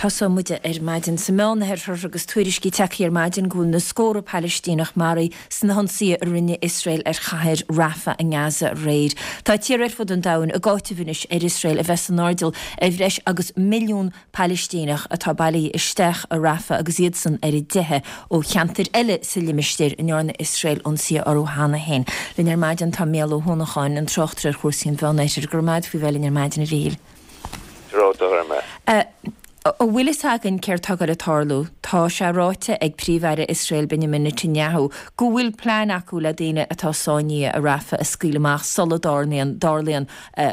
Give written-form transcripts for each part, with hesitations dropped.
Tosóidh muid ar maidin sa Meánoirthear agus tuairiscí tagtha ar maidin go bhfuil na scórtha Palaistíneach maraithe sna hionsaithe a rinne Iosrael ar chathair Rafah i nGaza aréir. Tá tíortha ar fud an domhain ag áiteamh anois ar Iosrael a bheith san airdeall ar bhreis agus milliún Palaistíneach atá bailithe isteach i Rafah agus iadsan ar a dteitheadh ó cheantair eile sa limistéar a ndearna Iosrael ionsaithe orthu cheana féin. Linn ar maidin tá Mícheál Ó hUanacháin, an tráchtaire ar chúrsaí an Mheánoirthir. Go raibh maith agat faoi bheith linn ar maidin, a Mhíchíl. An bhfuil fhios againn céard tá ag goil ag tarlú? Tá sé ráite ag Príomh-Aire Iosrael Benjamin Netanyahu go bhfuil plean acu le daoine atá sáinnithe i Rafah a scaoileadh amach sula dtarlaíonn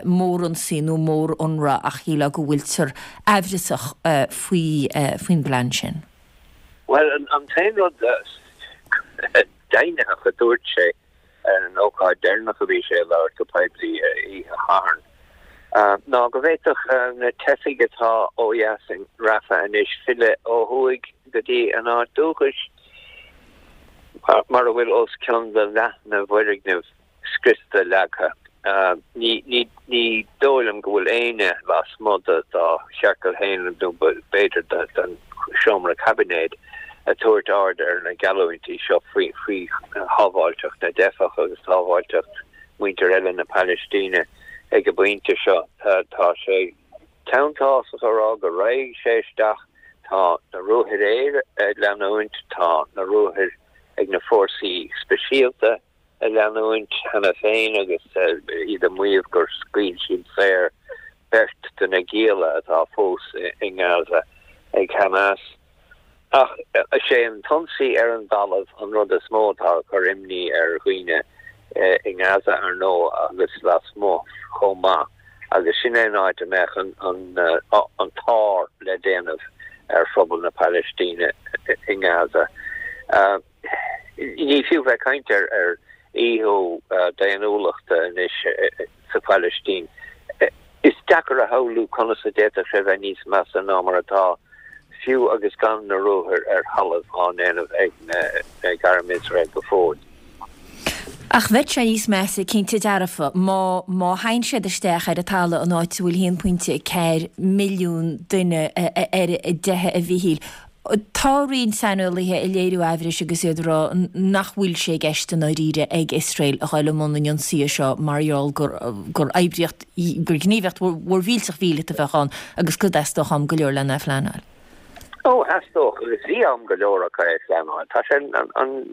mórionsaí nó mórionradh ach shílfeá go bhfuiltear aimhreasach faoi faoin bplean sin. Bhuel, an t-aon rud deimhnitheach a dúirt sé ar an ócáid deireanach a bhí sé ag labhairt go poiblí oíche Shathairn, ná go bhféadfadh na teifigh atá ó dheas in Rafah anois filleadh ó thuaidh go dtí a n-áit dúchais, mar a bhfuil os cionn de leath na bhfoirgneamh scriosta leagtha. Ní dóigh liom go bhfuil éinne lasmuigh dá chiorcal féin nó b'fhéidir den seomra caibinéid ag tabhairt aird ar na geallúintí seo faoi shábháilteacht na dteifeach agus sábháilteacht muintir eile na Palaistíne ag an bpointe seo. Tá sé teanntásach a rá go raghaidh sé isteach. Tá na ruathair aeir ag leanúint, tá na ruathair ag na fórsaí speisialta ag leanúint cheana féin agus iad ag maíomh gur scaoil siad saor beirt de na gialla atá fós i nGaza ag Hamas. Ach is é an t-ionsaí ar an dtalamh an rud is mó atá ag cur imní ar dhaoine i nGaza, ar ndóigh, agus lasmuigh chomh maith, agus sin é an áit a mbeadh an t-ár le déanamh ar phobal na Palaistíne i nGaza. Ní fiú bheith ag caint ar dhíothú daonnúlachta anois sa Phalaistín. Is deacair a shamhlú conas a d'fhéadfadh sé bheith níos measa ná mar atá, fiú agus gan na ruathair ar thalamh á ndéanamh ag arm Iosrael go fóill. Ach bheadh sé níos measa, cinnte dearfa, má má théann siad isteach ar an talamh in áit a bhfuil 1.4 milliún duine ar a dteitheadh, a Mhíchíl. Tá roinnt saineolaithe ag léiriú aimhris agus iad ag rá nach bhfuil sé i gceist i ndáiríre ag Iosrael a ghoil i mbun an ionsaithe seo mar gheall gur gur oibríocht, gur gníomhaíocht mhór mhillteach mhíleata a bheadh ann agus go dteastódh am go leor lena phleanáil. Ó, theastódh agus bhí am go leor acu é a phleanáil. Tá sé an,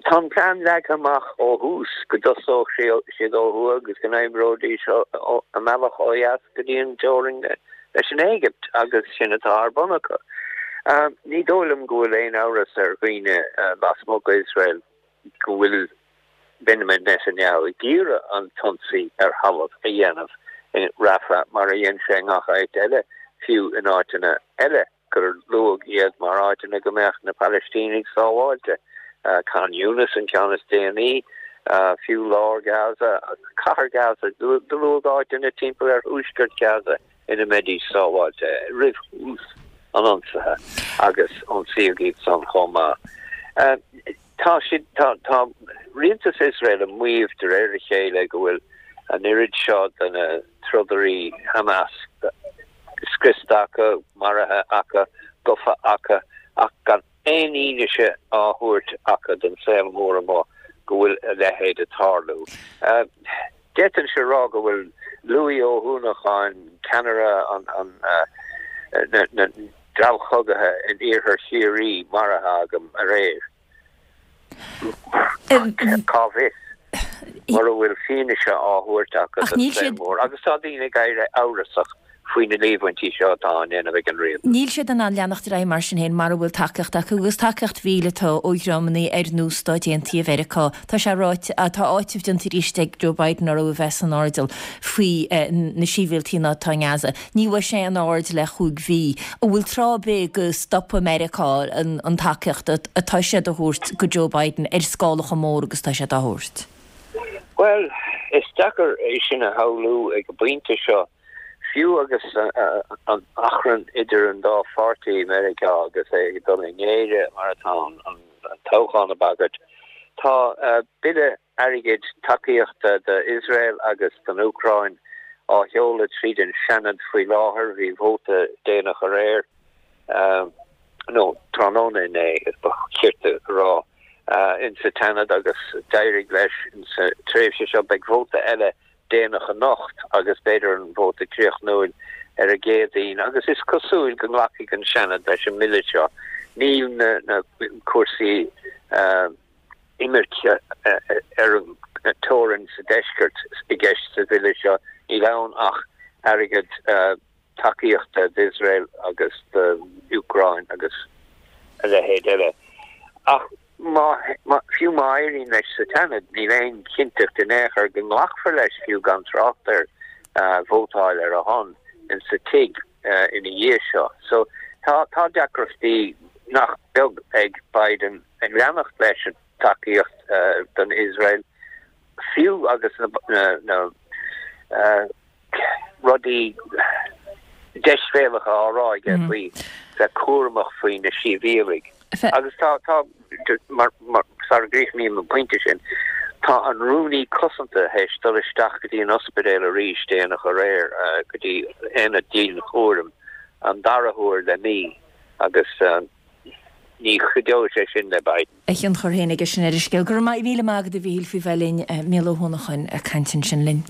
tá an plean leagtha amach ó thús go dtosódh siad ó thuaidh agus go n-oibreoidís a mbealach ó dheas go dtí an teorainn leis an Éigipt agus sin atá ar bun acu. Ní dóigh liom go bhfuil aon amhras ar dhaoine lasmuigh d'Iosrael go bhfuil Benjamin Netanyahu ag iarraidh an t-ionsaí ar thalamh a dhéanamh i Rafah mar a dhein sé i ngach áit eile, fiú in áiteanna eile gur luadh iad mar áiteanna go mbeadh na Palaistínigh sábháilte, Khan Younis an ceann is déanaí, fiú lár Gaza, cathair Gaza, do luadh áiteanna timpeall ar thuaisceart Gaza ina mbeidís sábháilte roimh thús an ionsaithe agus ionsaíodh iad san chomh maith. Tá siad, tá, tá rialtas Iosrael ag maíomh de réir a chéile go bhfuil an oiread seo de na trodairí Hamas scriosta acu, maraithe acu, gofa acu, ach gan aon fhianaise á thabhairt acu don saol mór amuigh go bhfuil a leithéid ag tarlú. D'fhéadfainnse a rá go bhfuil Louis Ó hUanacháin, ceannaire an na dtreallchogaithe in iarthar Chiarraí, maraithe agam aréir. Cá bhfios? Mura bhfuil fianaise á thabhairt acu don saol mór, agus tá daoine ag éirí amhrasach faoi na líomhaintí seo atá á ndéanamh ag an rialtas. Níl siad in ann leanacht ar aghaidh mar sin féin mara bhfuil tacaíocht acu, agus tacaíocht mhíleata ó dhreamanna ar nós Stáit Aontaithe Mheiriceá. Tá sé ráite, tá áiteamh déanta arís ag Joe Biden orthu a bheith san airdeall faoi na sibhialtaigh atá i nGaza. Ní bhfuair sé aon aird le chúig mhí. An bhfuil tráth ar bith go stopfaidh Meiriceá an tacaíocht atá siad a thabhairt go Joe Biden ar scála chomh mór agus atá siad á thabhairt? Bhuel, is deacair é sin a shamhlú ag an bpointe seo, fiú agus an achrann idir an dá pháirtí i Meiriceá agus é ag dul i ngéire mar atá an toghchán ag bagairt. Tá bille airgid tacaíochta d'Iosrael agus don Úcráin. á sheoladh tríd an Seanad faoi láthair. Bhí vóta déanach aréir, nó tráthnóna inné, ba chirte a rá, insa tSeanad agus d'éirigh leis insa tréimhse seo. Beidh vóta eile déanach anocht agus b'fhéidir an vóta críochnúil ar an gCéadaoin agus is cosúil go nglacfaidh an Seanad leis an mbille seo. Níl na cúrsaí imirce ar an teorainn sa deisceart i gceist sa bhille seo, níl ann ach airgead tacaíochta d'Iosrael agus d'Úcráin agus a leithéid eile. Ach má, fiú má éiríonn leis sa tSeanad, níl aon chinnteacht in aon chor go nglacfar leis, fiú gan trácht ar vótáil ar a shon insa Tigh ina dhiaidh seo. So tá, tá deacrachtaí nach beag ag Biden ag leanacht leis an tacaíocht don Iosrael, fiú agus na rudaí deisbhéalacha á rá aige faoi bheith cúramach faoi na sibhialaigh. Agus tá, tá, mar, mar, sara gcríochnaím an pointe sin, tá an Rúnaí Cosanta théis dul isteach go dtí an ospidéal arís déanach aréir, go dtí aonad dianchúraim, an dara huair le mí agus ní chuideoidh sé sin le Biden. A thionchar féin aige sin ar an scéal. Go raibh míle maith agat a Mhíchíl faoi bheith linn. Mícheál Ó hUanacháin ag caint ansin linn.